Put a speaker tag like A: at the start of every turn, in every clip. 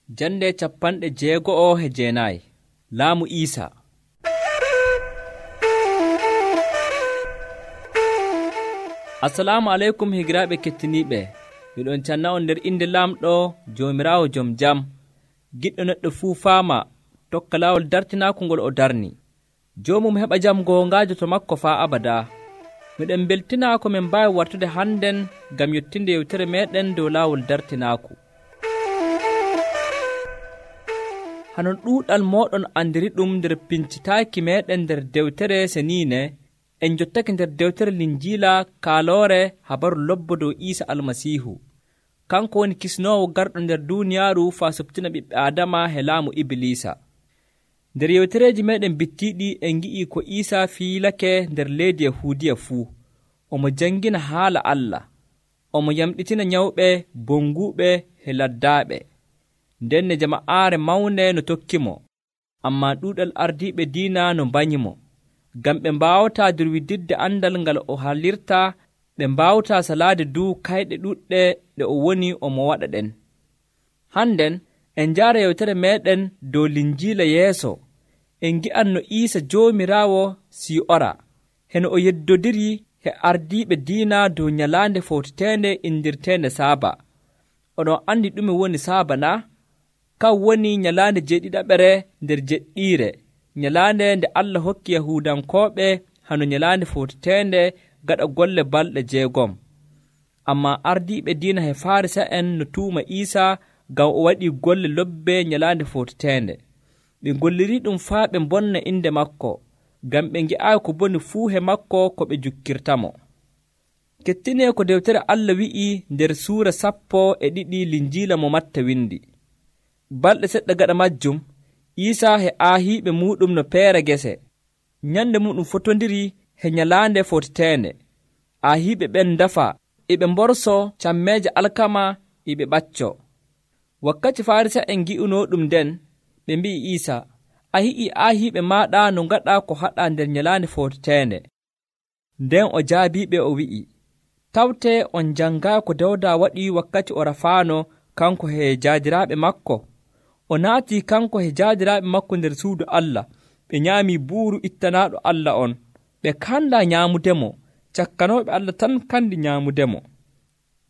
A: Jande 69 Laamu Iisa. Assalamu aleykum higiraaɓe kettiniiɓe. Miɗon canna on nder inde Laamɗo Joomiraawo Jom Jam, giɗɗo neɗɗo fuu faama tokka laawol dartinaaku ngol o darni. Joomum heɓa jam goongaajo to makko faa abadaa. Miɗen beltinaa ko min mbaawi wartude hannden ngam yottinde yewtere meeɗen dow laawol dartinaaku. Hanon ɗuuɗal mooɗon andiri ɗum nder pincitaaki meeɗen nder dewtere seniine, en jottake nder dewtere Linjiila kaaloore habaru lobbo dow Iisa Almasiihu. Kanko woni kisnoowo garɗo nder duuniyaaru faa suptina ɓiɓɓe Aadama he laamu Ibliisa. Nder yewtereeji meeɗen bittiiɗi en ngi'ii ko Iisa fiilake nder leydi Yahuudiya fuu. Omo jangina haala Allah. Omo yamɗitina nyawɓe, bonguuɓe he laddaaɓe. Nden ne jama'aare mawne no tokkimo, ammaa ɗuuɗal ardiiɓe diina no mbanyimo. Ngam ɓe mbaawataa durwididde andal ngal o haalirta, ɓe mbaawataa salaade dow kayɗe ɗuɗɗe ɗe o woni omo waɗa ɗen. Hannden en njaara yewtere meeɗen dow Linjiila yeeso. En ngi'an no Iisa Joomiraawo sii'ora, heno o yeddodiri he ardiiɓe diina dow nyalaande fowteteende indirteende Saaba. Oɗon andi ɗume woni Saaba na? Kan woni nyalaande jeeɗiɗaɓere nder jeɗɗiire, nyalaande nde Allah hokki Yahuudankooɓe hano nyalaande fowteteende gaɗa golle balɗe 6. Ammaa ardiiɓe diina he Faarisa'en no tuuma Iisa ngam o waɗii golle lobbe nyalaande fowteteende. Ɓe ngollirii ɗum faa ɓe mbonna inde makko, ngam ɓe ngi'aayi ko boni fuu he makko ko ɓe jukkirtamo. Kettinee ko dewtere Allah wi'i nder suura 12 Linjiila mo Matta windi. Balɗe seɗɗa gaɗa majjum, Iisa he aahiiɓe muuɗum no peera gese. Nyande muɗum fotondiri he nyalaande fowteteende. Aahiiɓe ɓen ndafa, eɓe mborso cammeeje alkama eɓe ɓacco. Wakkati Faarisa'en ngi'unoo ɗum nden, ɓe mbi'i Iisa, a hi'ii aahiiɓe maaɗa no ngaɗa ko haɗa nder nyalaande fowteteende. Nden o jaabiiɓe o wi'i, tawtee on janngaa ko Dawda waɗi wakkati o rafaano kanko he jaadiraaɓe makko. O naatii kanko he jaadiraaɓe makko nder suudu Allah, ɓe nyaamii buuru ittanaaɗo Allah on. Ɓe kandaa nyaamudemo, cakkanooɓe Allah tan kandi nyaamudemo.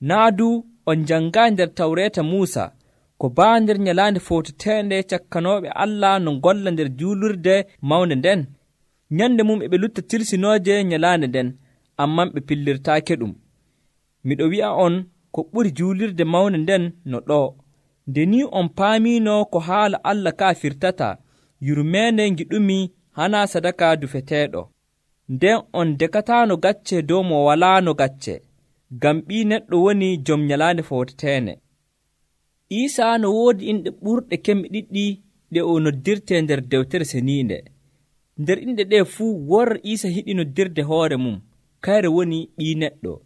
A: Naa duu on janngaa nder Tawreeta Muusa ko baa nder nyalaande fowteteende cakkanooɓe Allah no ngolla nder juulurde mawnde nden. Nyande mum e ɓe lutta tirsinooje nyalaande nden, ammaa ɓe pillirtaake ɗum. Miɗo wi'a on ko ɓuri juulirde mawnde nden no ɗoo. Nde ni on paamiino ko haala Allah kaa firtata, yurmeende ngiɗumi hana sadaka dufeteeɗo. Nden on dekataano gacce dow mo walaano gacce, ngam Ɓii Neɗɗo woni jom nyalaande fowteteende. Iisa no woodi inɗe ɓurɗe kemme ɗiɗɗi ɗe o noddirtee nder dewtere seniinde. Nder inɗe ɗe fuu worre Iisa hiɗi noddirde hoore mum, kayre woni Ɓii Neɗɗo.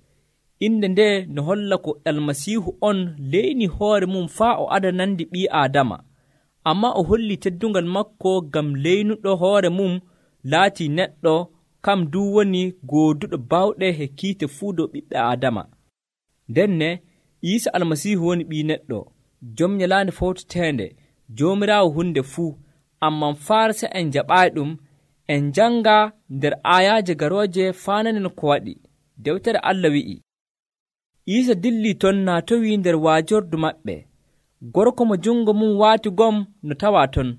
A: Inde nde no holla ko Almasiihu on leyni hoore mum faa o adanandi ɓii Aadama, ammaa o holli teddungal makko ngam leynuɗo hoore mum laatii neɗɗo, kam duu woni gooduɗo bawɗe he kiite fuu dow ɓiɓɓe Aadama. Ndenne Iisa Almasiihu woni Ɓii Neɗɗo, jom nyalaande fowteteende, Joomiraawo hunde fuu. Ammaa Faarisa'en jaɓaayi ɗum. En jannga nder aayaaje garooje faananen ko waɗi. Dewtere Allah wi'i, Iisa dillii ton naatowii nder waajordu maɓɓe. Gorko mo jungo mum waati gom no tawaa ton.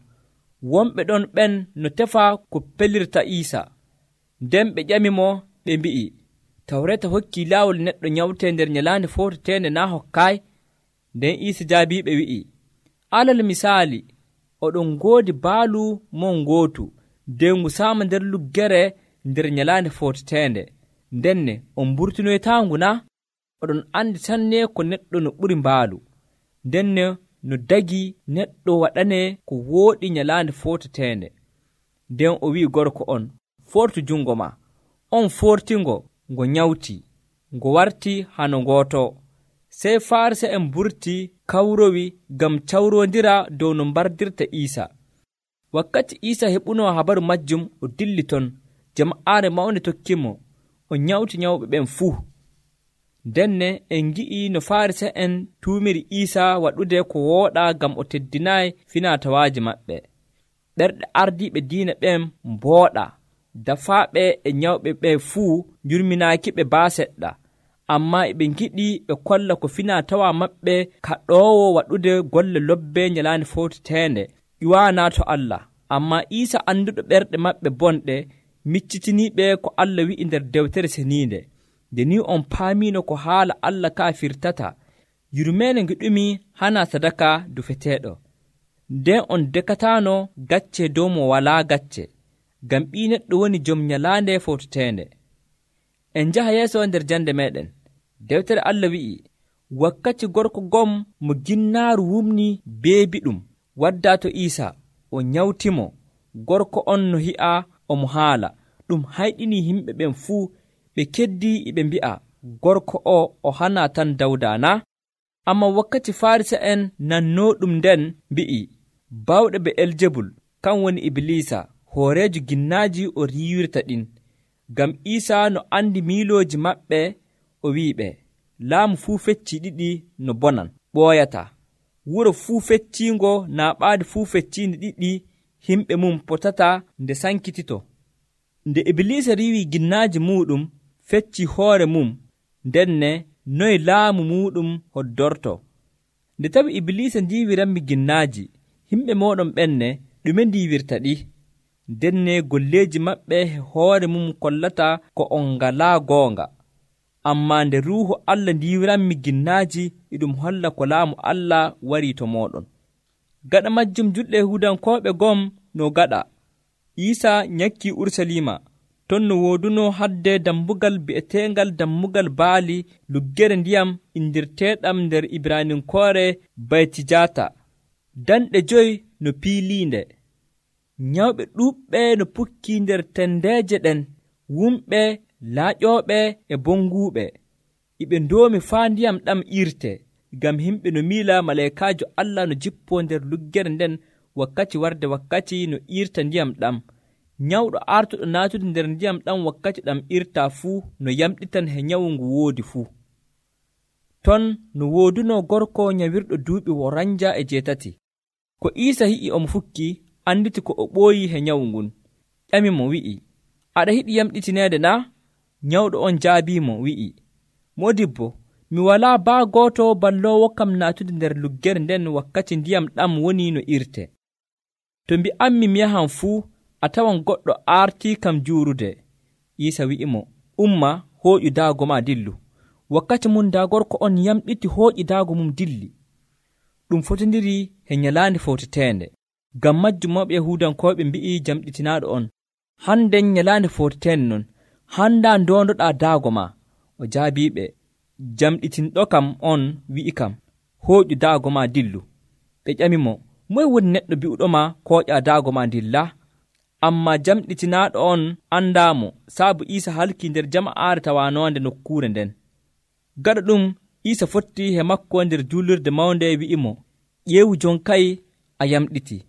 A: Wonɓe ɗon ɓen no tefa ko pelirta Iisa. Nden ɓe ƴamimo ɓe mbi'i, Tawreeta hokkii laawol neɗɗo nyawtee nder nyalaande fowteteende naa hokkaay? Nden Iisa jaabiiɓe wi'i, alal misaali, oɗon ngoodi baalu mon ngootu, nden ngu saama nder luggere nder nyalaande fowteteende. Ndenne on mburtinoytaangu na? Oɗon andi sanne ko neɗɗo no ɓuri mbaalu. Ndenne no dagi neɗɗo waɗane ko wooɗi nyalaande fowteteende. Nden o wi'i gorko on, fortu jungo ma. On fortingo, ngo nyawti, ngo warti hano ngooto. Sey Faarisa'en mburti kawrowi ngam cawrondira dow no mbardirta Iisa. Wakkati Iisa heɓunoo habaru majjum, o dilli ton. Jama'aare mawnde tokkimo, o nyawti nyawɓe ɓen fuu. Denne en gi'i no Farisa'en tuumiri Iisa waɗude ko wooɗaa ngam o teddinaayi finatawaaji maɓɓe. Ɓerɗe ardiiɓe diina ɓen mbooɗa, dafaaɓe e nyawɓe ɓe fuu njurminaakiɓe baa seɗɗa, ammaa e ɓe ngiɗi ɓe kolla ko finatawa maɓɓe kaɗoowo waɗude golle lobbe nyalaande fowteteende ƴiwaanaa to Allah. Ammaa Iisa annduɗo ɓerɗe maɓɓe bonɗe miccitiniiɓe ko Allah wi'i nder Dewtere Ceniinde. Nde ni on paamiino ko haala Allah ka firtata, yurmeende ngiɗumi hana sadaka dufeteeɗo. Nden on dekataano gacce dow mo walaa gacce, ngam ɓii neɗɗo woni jom nyalaande fowteteende. En njaha yeeso nder jande meɗen. Dewtere Allah wi'i, wakkati gorko gom mo ginnaaru wumni beebiɗum waddaa to Iisa, o nyawtimo. Gorko on no hi'a omo haala, ɗum hayɗini himɓe ɓen fuu. Ɓe keddi ɓe mbi'a, gorko o hana tan Dawda na? Amma wakkati Farisa'en nannooɗum nden mbi'i, bawɗe Be'eljebul, kan woni Iblisa, hooreejo ginnaaji o riiwirta ɗin. Ngam Iisa no andi miilooji maɓɓe, o wi'iɓe, laamu fuu fecci ɗiɗi no bonan ɓooyata. Wuro fuu fecciingo naa ɓaadi fuu fecciindi ɗiɗi himɓe mum potata nde sankitito. Nde Iblisa riiwi ginnaaji muuɗum fecci hoore mum, ndenne noy laamu muuɗum hoddorto. Nde tawi Iblisa ndiiwiranmi ginnaaji, himɓe mooɗon ɓenne ɗume ndiiwirta ɗi? Ndenne golleeji maɓɓe hoore mum kollata ko on ngalaa goonga. Ammaa nde Ruuhu Allah ndiiwiranmi ginnaaji, iɗum holla ko laamu Allah warii to mooɗon. Gaɗa majjum julɓe Yahuudankooɓe gom no gaɗa. Iisa nyakkii Urusalima, ton no wooduno hadde dammugal bi'eteengal dammugal baali luggere ndiyam indirteeɗam nder Ibraninkoore Baytijata. Danɗe 5 no piiliinde. Nyawɓe ɗuuɓɓe no pukkii nder tendeeje ɗen, wumɓe, laaƴooɓe e bonguuɓe. Iɓe ndoomi faa ndiyam ɗam irte, ngam himɓe no miila maleekaajo Allah no jippoo nder luggere nden wakkati warde wakkati no irta ndiyam ɗam. Nyawɗo artuɗo naatude nder ndiyam ɗam wakkati ɗam irtaa fuu no yamɗitan he nyawu ngu woodi fuu. Ton no woodunoo gorko nyawirɗo duuɓi 48. Ko Iisa hi'i omo fukki, anditi ko o ɓooyi he nyawu ngun. Ƴami mo wi'i, aɗa hiɗi yamɗitineede na? Nyawɗo on jaabiimo wi'i, Moodibbo, mi walaa baa gooto balloowo kam naatude nder luggere nden wakkati ndiyam ɗam woni no irte. To mbi'ammi mi yahan fuu, a tawan goɗɗo aartii kam juurude. Iisa wi'imo, umma, hooƴu daago ma dillu. Wakkati mum daa gorko on yamɗiti hooƴi daago mum dilli. Ɗum fotondiri he nyalaande fowteteende. Ngam majjum mawɓe Yahuudankooɓe mbi'i jamɗitinaaɗo on, hannden nyalaande fowteteende non, hanndaa ndondoɗaa daago ma. O jaabiiɓe, jamɗitinɗo kam on wi'i kam, hooƴu daago ma dillu. Ɓe ƴamimo, moye woni neɗɗo bi'uɗoma kooƴa daago ma dilla? Ammaa jamɗitinaaɗo on anndaamo, saabu Iisa halkii nder jama'aare tawaanoonde nokkuure nden. Gaɗa ɗum, Iisa fotti he makko nder juulirde mawnde wi'imo, ƴeewu jon kay a yamɗiti.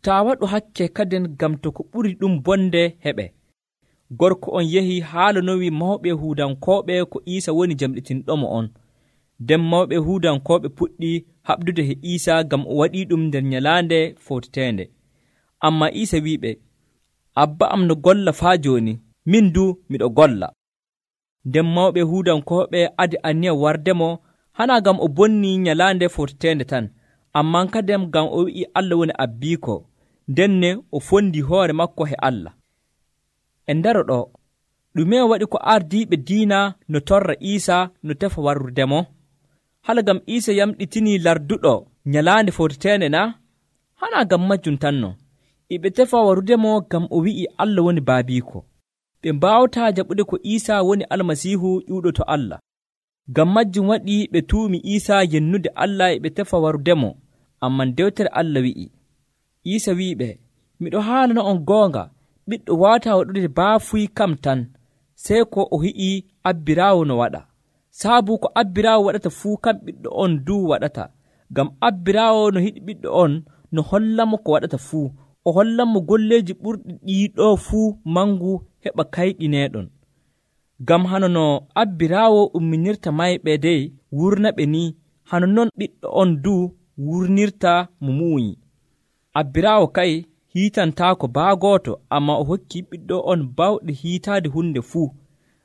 A: Taa waɗu hakke kadin ngam to ko ɓuri ɗum bonde heɓe. Gorko on yehi haalanowi mawɓe Yahuudankooɓe ko Iisa woni jamɗitinɗomo on. Nden mawɓe Yahuudankooɓe puɗɗi haɓdude he Iisa ngam o waɗii ɗum nder nyalaande fowteteende. Ammaa Iisa wi'iɓe, Abba am no golla faa jooni, min du miɗo golla. Nden mawɓe Yahuudankooɓe adi aniya wardemo, hana ngam o bonni nyalaande fowteteende tan, ammaa kadem ngam o wi'i Allah woni abbiiko, ndenne o fondi hoore makko he Allah. E ndaro ɗo, ɗume waɗi ko ardiiɓe diina no torra Iisa no tefa warrudemo? Hala ngam Iisa yamɗitinii larduɗo nyalaande fowteteende na? Hana ngam majjum tan non. Iɓe tefa warrudemo ngam o wi'i Allah woni baabiiko. Ɓe mbaawataa jaɓude ko Iisa woni Almasiihu ƴuuɗo to Allah. Ngam majjum waɗi ɓe tuumi Iisa yennude Allah e ɓe tefa warrudemo. Amman dewtere Allah wi'i, Iisa wi'iɓe, miɗo haalana on goonga, ɓiɗɗo waawataa waɗude baafuy kam tan, sey ko o hi'ii abbiraawo no waɗa. Saabu ko abbiraawo waɗata fuu kam ɓiɗɗo on duu waɗata. Ngam abbiraawo no hiɗi ɓiɗɗo on no hollamo ko waɗata fuu. O hollanmo golleeji ɓurɗi ɗiiɗo fuu mangu heɓa kayɗineeɗon. Ngam hano no abbiraawo umminirta mayɓe dey wurna ɓe ni, hano non ɓiɗɗo on du wurnirta mo muuyi. Abbiraawo kay hiitantaako baa gooto, amma o hokki ɓiɗɗo on bawɗe hiitaade hunde fuu,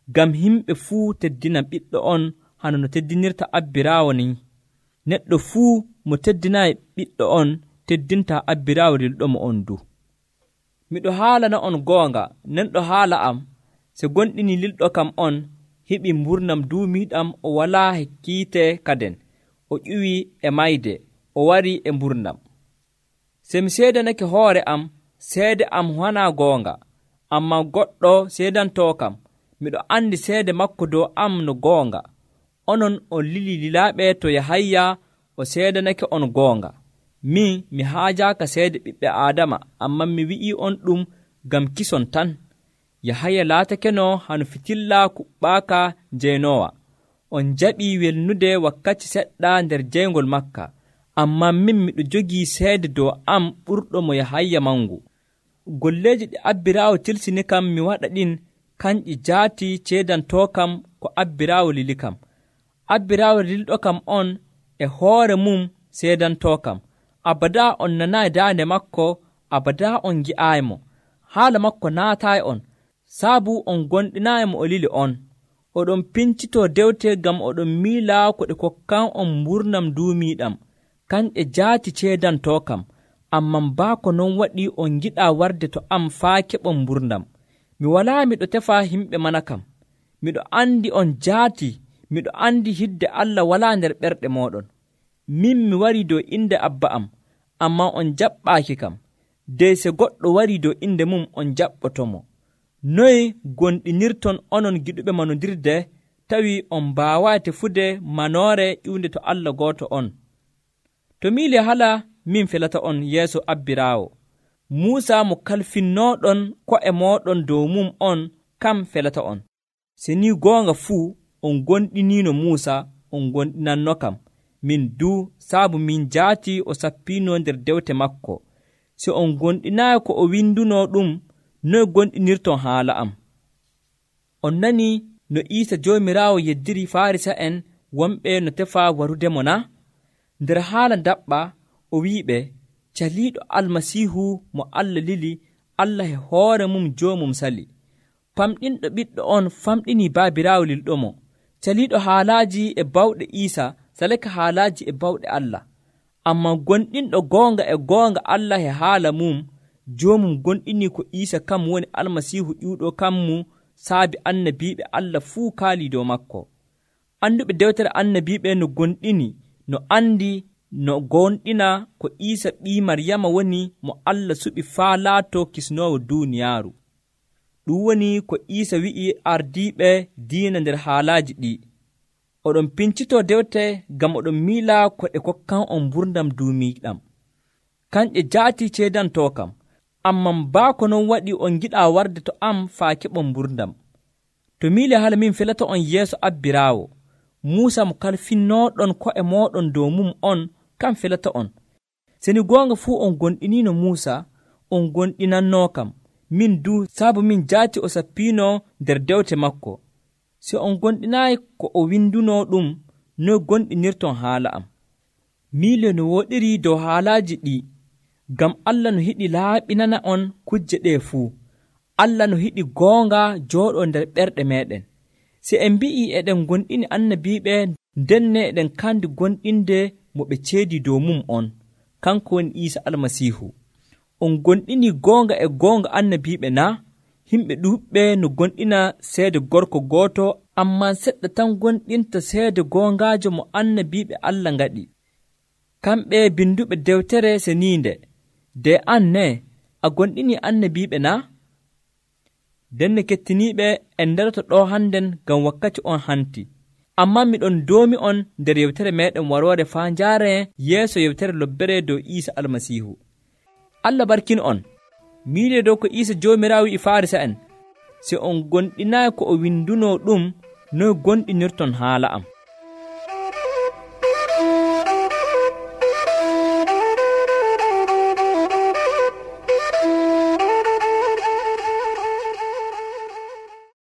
A: ngam himɓe fuu teddina ɓiɗɗo on hano no teddinirta abbiraawo ni. Neɗɗo fuu mo teddinayi ɓiɗɗo on teddinta abbiraawo lilɗomo on du. Miɗo haalana on goonga, nenɗo haala am so gonɗini lilɗo kam on heɓi mburnam duumiiɗam, o walaa kiite kaden, o ƴuwi e mayde, o wari e mburnam. Se mi seedanake hoore am, seede am wanaa goonga, amma goɗɗo seedantoo kam, miɗo andi seede makko dow am no goonga. Onon on lili lilaaɓe to Yahaya o seedanake on goonga. Min mi haajaaka seede ɓiɓɓe Aadama, amma mi wi'ii on ɗum ngam kison tan. Yahaya laatakeno hano fitilla kuɓɓaaka jeynoowa. On jaɓii welnude wakkati seɗɗa nder jeyngol makka, amma min miɗo jogii seede dow am ɓurɗo mo Yahaya mangu. Golleeji ɗi abbiraawo tilsini kam mi waɗa ɗin, kanƴi jaati ceedantoo kam ko abbiraawo lili kam. Abbiraawo lilɗo kam on e hoore mum seedantoo kam. Abadaa on nanaayi daande makko, abadaa on ngi'aayimo. Haala makko naataayi on, saabu on gonɗinaayimo o lili on. Oɗon pincitoo dewte ngam oɗon miila ko ɗe kokkan on mburnam duumiiɗam. Kanƴe jaati ceedantoo kam, amman baa ko non waɗi on ngiɗaa warde to am faa keɓon mburnam. Mi walaa miɗo tefa himɓe mana kam. Miɗo andi on jaati, miɗo andi hidde Allah walaa nder ɓerɗe mooɗon. Min mi warii dow inde Abba am, amma on jaɓɓaaki kam. Dey se goɗɗo warii dow inde mum on jaɓɓotomo. Noye gonɗinirton onon giɗuɓe manondirde, tawi on mbaawaa tefude manoore ƴiwnde to Allah gooto on? To miile hala min felata on yeeso abbiraawo. Muusa mo kalfinnooɗon ko'e mooɗon dow mum on kam felata on. Se ni goonga fuu on gonɗiniino Muusa, on gonɗinanno kam. Min duu saabu min jaati o sappiinoo nder dewte makko. Se on gonɗinaayi ko o windunoo ɗum, noye gonɗinirton haala am? On nani no Iisa Joomiraawo yeddiri Farisa'en wonɓe no tefa warudemo na? Nder haala daɓɓa o wi'iɓe, caliiɗo Almasiihu mo Allah lili, Allah e hoore mum joomum sali. Famɗinɗo ɓiɗɗo on famɗini baabiraawo lilɗomo. Caliiɗo haalaaji e bawɗe Iisa salake haalaaji e bawɗe Allah. Amma gonɗinɗo goonga Allah e haala mum, joomum gonɗini ko Iisa kam woni Almasiihu ƴiwɗo kammu, saabi annabiiɓe Allah fuu kaalii dow makko. Anduɓe dewtere annabiiɓe no gonɗini, no andi, no gonɗina ko Iisa ɓii Maryama woni mo Allah suɓi faa laatoo kisnoowo duuniyaaru. Ɗum woni ko Iisa wi'i ardiiɓe diina nder haalaaji ɗi. Oɗon pincitoo dewte ngam oɗon miila ko ɗe kokkan on mburdam duumiiɗam. Kanƴe jaati ceedantoo kam, amman baa ko non waɗi on giɗaa warde to am faa keɓon mburdam. To miile hala min felata on yeeso abbiraawo. Muusa mo kalfinnooɗon ko'e mooɗon dow mum on kam felata on. Seni goonga fuu on gonɗiniino Muusa, on gonɗinannoo kam. Min du saabu min jaati o sappiinoo nder dewte makko. Si on gonɗinaayi ko o windunoo ɗum, noye gonɗinirton haala am? Miile no woɗiri dow haalaaji ɗi, ngam Allah no hiɗi laaɓinana on kujje ɗee fuu. Allah no hiɗi goonga jooɗoo nder ɓerɗe meeɗen. Si en mbi'ii eɗen gonɗini annabiiɓe, ndenne eɗen kandi gonɗinde mo ɓe ceedi dow mum on, kanko woni Iisa Almasiihu. On gonɗini goonga e goonga annabiiɓe na? Himɓe ɗuuɓɓe no gonɗina seede gorko gooto, ammaa seɗɗa tan gonɗinta seede goongaajo mo annabiiɓe Allah ngaɗi. Kamɓe binduɓe dewtere seniinde, de an ne a gonɗini annabiiɓe na? Denne kettiniiɓe en nderoto ɗo hannden ngam wakkati on hanti. Ammaa miɗon doomi on nder yewtere meeɗen waroore faa njaaree yeeso yewtere lobbere dow Iisa Almasiihu. Allah barkin on. Miile dow ko Iisa Joomiraawo wi'i Farisa'en, si on gonɗinaayi ko o windunoo ɗum, noye gonɗinirton haala am?